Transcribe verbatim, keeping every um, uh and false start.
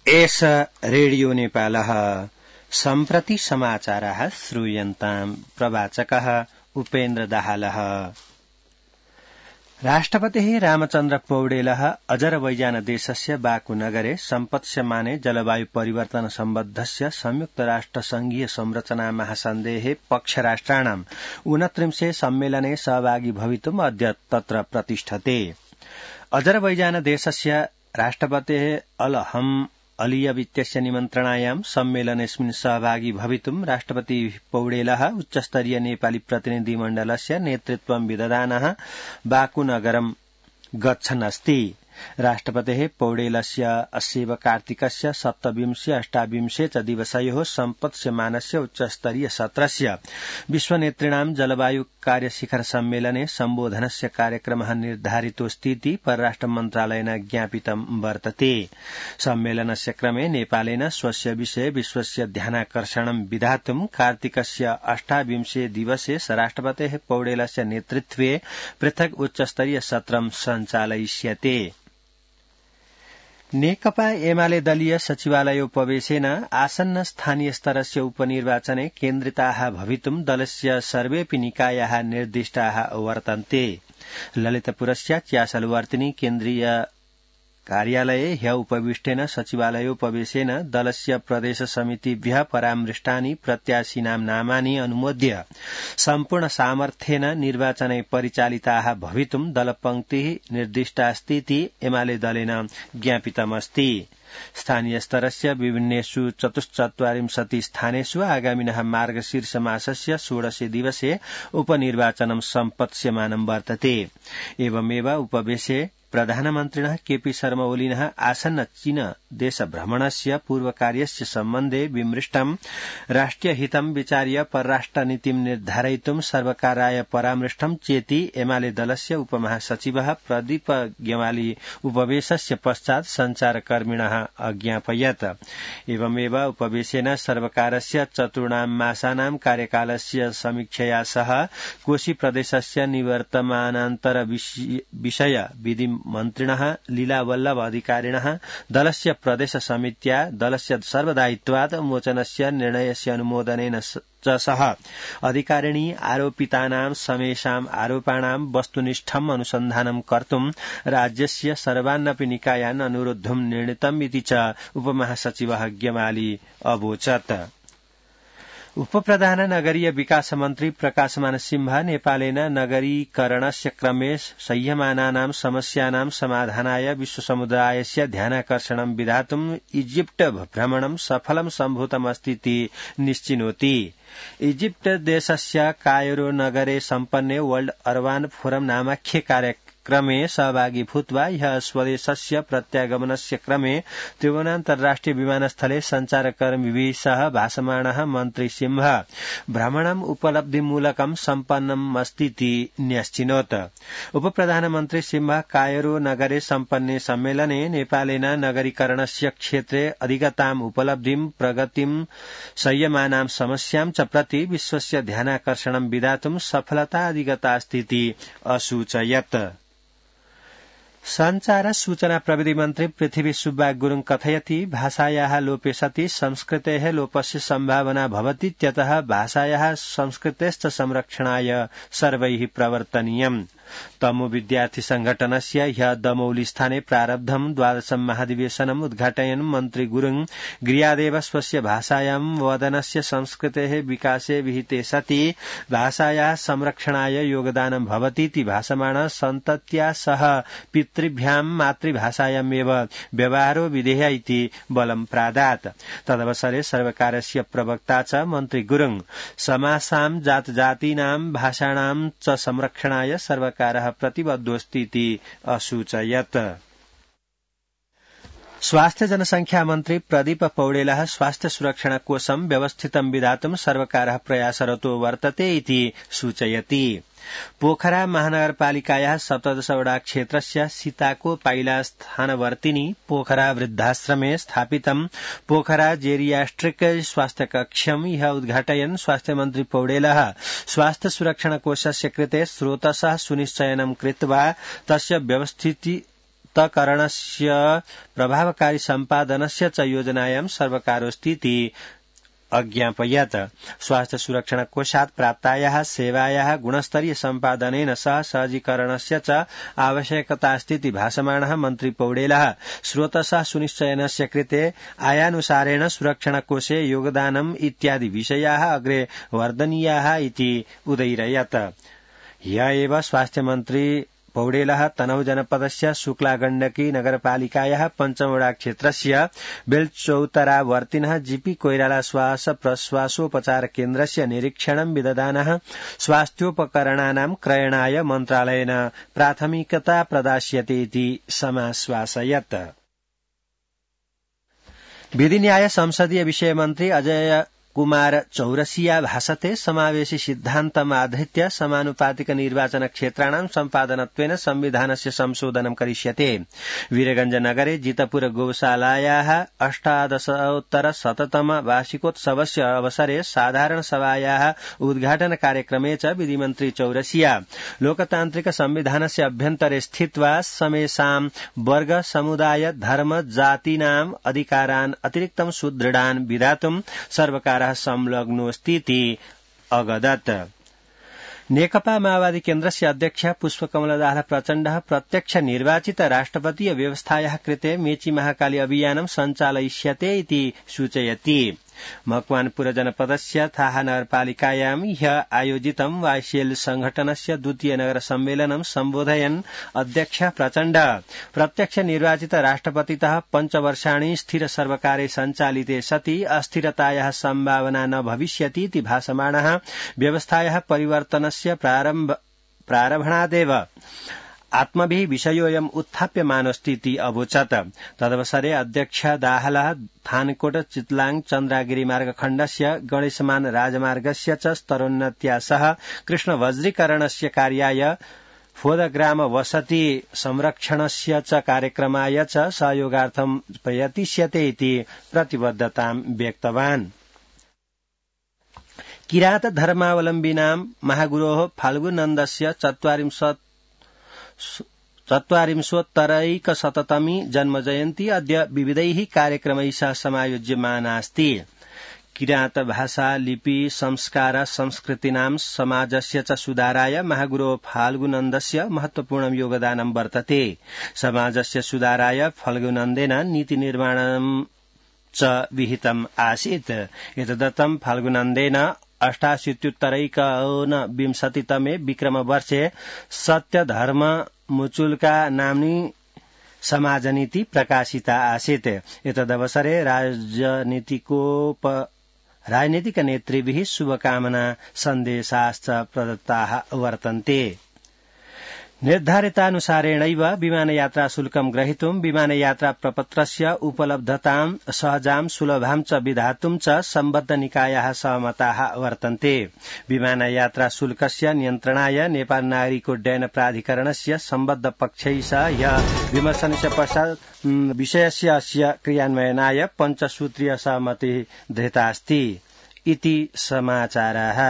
एष रेडियो नेपालः सम्प्रति समाचाराः श्रूयन्ताम् प्रवाचकः उपेन्द्र दाहालः। राष्ट्रपतिः रामचन्द्र पौडेलः अजरबैजान देशस्य बाकु नगरे सम्पत्स्यमाने जलवायु परिवर्तन सम्बद्धस्य संयुक्त राष्ट्र संघीय संरचना महासन्धेः पक्षराष्ट्राणाम् ऊनत्रिंशे सम्मेलने सहभागी भवितुम् अद्य तत्र प्रतिष्ठते। अजरबैजान देशस्य राष्ट्रपतेः अलहम अलियव इत्यस्य निमन्त्रणायां सम्मेलनेऽस्मिन् सहभागी भवितुं राष्ट्रपति पौडेलः उच्चस्तरीय नेपाली प्रतिनिधिमण्डलस्य नेतृत्वं विदधानः बाकु नगरं गच्छन् अस्ति। राष्ट्रपतेः पौडेलस्य अस्यैव कार्तिकस्य सप्तविंशे अष्टाविंशे च दिवसयोः सम्पत्स्यमानस्य उच्चस्तरीय सत्रस्य विश्वनेतृणां जलवायु कार्यशिखर सम्मेलने सम्बोधनस्य कार्यक्रमः निर्धारितोऽस्तीति परराष्ट्र मन्त्रालयेन ज्ञापितं वर्तते। सम्मेलनस्य क्रमे नेपालेन स्वस्य विषये विश्वस्य ध्यानाकर्षणं विधातुं कार्तिकस्य अष्टाविंशे दिवसे राष्ट्रपतेः पौडेलस्य नेतृत्वे पृथक् उच्चस्तरीय सत्रं सञ्चालयिष्यते। नेकपा एमाले दलीय सचिवालयोपवेशेन आसन्न स्थानीय स्तरस्य उपनिर्वाचने केन्द्रिताः भवितुं दलस्य सर्वेऽपि निकायाः निर्दिष्टाः वर्तन्ते। ललितपुरस्य च्यासलवर्तिनी केन्द्रीय कार्यालये ह्य उपविष्टेन सचिवालयोपवेशेन दलस्य प्रदेश समितिभ्यः परामृष्टानि प्रत्याशिनां नामानि अनुमोद्य सम्पूर्ण सामर्थ्येन निर्वाचने परिचालिताः भवितुं दलपंक्तिः निर्दिष्टास्तीति एमाले दलेन ज्ञापितमस्ति। स्थानीय स्तरस्य विभिन्नेषु चतुश्चत्वारिंशति स्थानेषु आगामिनः मार्गशीर्ष मासस्य षोडशे दिवसे उपनिर्वाचनं सम्पत्स्यमानं वर्तते। एवमेव उपवेशे प्रधानमन्त्रिणः केपी शर्मा ओलीनः आसन्न चीन देशभ्रमणस्य पूर्वकार्यस्य सम्बन्धे विमृष्टं राष्ट्रियहितं विचार्य परराष्ट्रनीतिं निर्धारयितुं सर्वकाराय परामृष्टं चेति एमाले दलस्य उपमहासचिवः प्रदीप गेवाली उपवेशस्य पश्चात् सञ्चारकर्मिणः अज्ञापयत्। एवमेव उपवेशेन सर्वकारस्य चतुर्णां मासानां कार्यकालस्य समीक्षया सह कोशी प्रदेशस्य निवर्तमानान्तर विषय विधि मन्त्रिणः लीलावल्लभ अधिकारिणः दलस्य प्रदेश समित्या दलस्य सर्वदायित्वात् मोचनस्य निर्णयस्य अनुमोदनेन च सह अधिकारिणी आरोपितानां समेषाम् आरोपाणां वस्तुनिष्ठम् अनुसन्धानं कर्तुं राज्यस्य सर्वानपि निकायान् अनुरोद्धुं निर्णीतम् इति च उपमहासचिवः गेवाली अवोचत्। उपप्रधान नगरीय विकास मन्त्री प्रकाशमान सिंह नेपालेन नगरीकरणस्य क्रमे सह्यमानानां समस्यानां समाधानाय विश्वसमुदायस्य ध्यानाकर्षणं विधातुं इजिप्ट भ्रमणं सफलं सम्भूतमस्तीति निश्चिनोति। इजिप्ट देशस्य कायरो नगरे सम्पन्ने वर्ल्ड अर्बान फोरम नामाख्ये कार्यक्रमे सहभागी भूत्वा ह्यः स्वदेशस्य प्रत्यागमनस्य क्रमे त्रिभुवन अन्तर्राष्ट्रिय विमानस्थले सञ्चारकर्मिभिः सह भाषमाणः मन्त्री सिंह भ्रमणम् उपलब्धिमूलकं सम्पन्नमस्तीति न्यश्चिनोत्। उपप्रधानमन्त्री सिंह कायरो नगरे सम्पन्ने सम्मेलने नेपालेन नगरीकरणस्य क्षेत्रे अधिगताम् उपलब्धिं प्रगतिं संयमानां समस्यां च प्रति विश्वस्य ध्यानाकर्षणं विधातुं सफलता अधिगतास्तीति असूचयत्। संचार सूचना प्रविधि मन्त्री पृथ्वी सुब्बा गुरुङ कथयति भाषायाः लोपे सति संस्कृतेः लोपस्य सम्भावना भवति त्यतः भाषायाः संस्कृतेश्च संरक्षणाय सर्वैः प्रवर्तनीयम्। तमु विद्यार्थी संघटनस्य ह्यः दमौली स्थाने प्रारब्धं द्वादशं महाधिवेशनम् उद्घाटयन् मन्त्री गुरुङ गृहादेव स्वस्य भाषायां वदनस्य संस्कृतेः विकासे विहिते सति भाषायाः संरक्षणाय योगदानं भवतीति भाषमाण सन्तत्या सह पितृभ्यां मातृभाषायामेव व्यवहारो विधेय इति बलं प्रादात्। तदवसरे सर्वकारस्य प्रवक्ता च मन्त्री गुरुङ समासां जातजातीनां भाषाणां च संरक्षणाय सर्वकारः प्रतिबद्धोऽस्तीति असूचयत्। स्वास्थ्य जनसंख्या मन्त्री प्रदीप पौडेलः स्वास्थ्य सुरक्षण कोषं व्यवस्थितं विधातुं सर्वकारः प्रयासरतो वर्तते इति सूचयति। पोखरा महानगरपालिकायाः सप्तदशवटा क्षेत्रस्य सीताको पाइला स्थानवर्तिनी पोखरा वृद्धाश्रमे स्थापितं पोखरा जेरियाट्रिक स्वास्थ्य कक्षम् इह उद्घाटयन् स्वास्थ्य मन्त्री पौडेलः स्वास्थ्य सुरक्षण कोषस्य कृते स्रोतसः सुनिश्चयनं कृत्वा तस्य व्यवस्थिति मुक्तकरणस्य प्रभावकारी सम्पादनस्य च योजनायां सर्वकारोऽस्तीति अज्ञापयत्। स्वास्थ्य सुरक्षण कोषात् प्राप्तायाः सेवायाः गुणस्तरीय सम्पादनेन सह सहजीकरणस्य च आवश्यकतास्तीति भाषमाणः मन्त्री पौडेलः स्रोतसः सुनिश्चयनस्य कृते आयानुसारेण सुरक्षण कोषे योगदानम् इत्यादि विषयाः अग्रे वर्धनीयाः इति उदयिरयत्। ह्य एव स्वास्थ्यमन्त्री पौडेलः तनहु जनपदस्य शुक्लागण्डकी नगरपालिकायाः पञ्चमवडा क्षेत्रस्य बेलचौतरावर्तिनः जीपी कोइराला श्वास प्रश्वासोपचार केन्द्रस्य निरीक्षणं विदधानः स्वास्थ्योपकरणानां क्रयणाय मन्त्रालयेन प्राथमिकता प्रदास्यते इति समाश्वासयत्। विधिन्याय संसदीय विषय मन्त्री अजय कुमार चौरसिया भाषते समावेशी सिद्धान्तमाधृत्य समानुपातिक निर्वाचन क्षेत्राणां सम्पादनत्वेन संविधानस्य संशोधनं करिष्यते। वीरगंजनगरे जितपुर गोशालायाः अष्टादशोत्तर शततम वार्षिकोत्सवस्य अवसरे साधारण सभायाः उद्घाटन कार्यक्रमे च विधिमन्त्री चौरसिया लोकतान्त्रिक संविधानस्य अभ्यन्तरे स्थित्वा समेषां वर्ग समुदाय धर्म जातीनाम् अधिकारान् अतिरिक्तं सुदृढान् विधातुं सर्वकारः संलग्नोऽस्तीति अगदत्। नेकपा माओवादी केन्द्रस्य अध्यक्ष पुष्पकमलदास प्रचण्डः प्रत्यक्ष निर्वाचित राष्ट्रपतीय व्यवस्थायाः कृते मेची महाकाली अभियानं सञ्चालयिष्यते इति सूचयति। मकवानपुर जनपदस्य थाहा नगरपालिकायां ह्य आयोजितं वाईसीएल संघटनस्य द्वितीय नगर सम्मेलनं सम्बोधयन् अध्यक्ष प्रचण्ड प्रत्यक्ष निर्वाचित राष्ट्रपतितः पञ्चवर्षाणि स्थिर सर्वकारे सञ्चालिते सति अस्थिरतायाः सम्भावना न भविष्यति इति भाषमाणः व्यवस्थायाः परिवर्तनस्य प्रारम्भ प्रारम्भणादेव आत्मभिः विषयोऽयम् उत्थाप्यमानोऽस्तीति अवोचत्। तदवसरे अध्यक्ष दाहालः थानकोट चितलाङ चन्द्रागिरी मार्गखण्डस्य गणेशमान राजमार्गस्य च स्तरोन्नत्या सह कृष्ण वज्रीकरणस्य कार्याय फोदग्राम वसति संरक्षणस्य च कार्यक्रमाय च सहयोगार्थं प्रयतिष्यते इति प्रतिबद्धतां व्यक्तवान्। किरात धर्मावलम्बिनां महागुरोः फाल्गुनन्दस्य चत्वारिंशत् चत्वारिंशोत्तरैकशततमी जन्मजयन्ती अद्य विविधैः कार्यक्रमैः सह समायोज्यमानास्ति। किरात भाषा लिपि संस्कार संस्कृतीनां समाजस्य च सुधाराय महागुरो फाल्गुनन्दस्य महत्वपूर्णं योगदानं वर्तते। समाजस्य सुधाराय फाल्गुनन्देन नीतिनिर्माणं च विहितम् आसीत्। एतदर्थं फाल्गुनन्देन अष्टाशीत्युत्तरैकोनविंशतितमे विक्रमवर्षे सत्यधर्म मुचुल्का नाम्नी समाजनीति प्रकाशिता आसीत्। एतदवसरे राजनीतिकोप राजनीतिकनेतृभिः शुभकामना सन्देशाश्च प्रदत्ताः वर्तन्ते। निर्धारितानुसारेणैव विमानयात्रा शुल्कं ग्रहीतुं विमानयात्रा प्रपत्रस्य उपलब्धतां सहजां सुलभां च विधातुं च सम्बद्ध निकायाः सहमताः वर्तन्ते। विमानयात्रा शुल्कस्य नियन्त्रणाय नेपाल नागरिकोड्डयन प्राधिकरणस्य सम्बद्ध पक्षैः सह ह्यः विमर्शनस्य पश्चात् विषयस्य अस्य क्रियान्वयनाय पञ्चसूत्रीय सहमतिः धृतास्ति इति समाचाराः।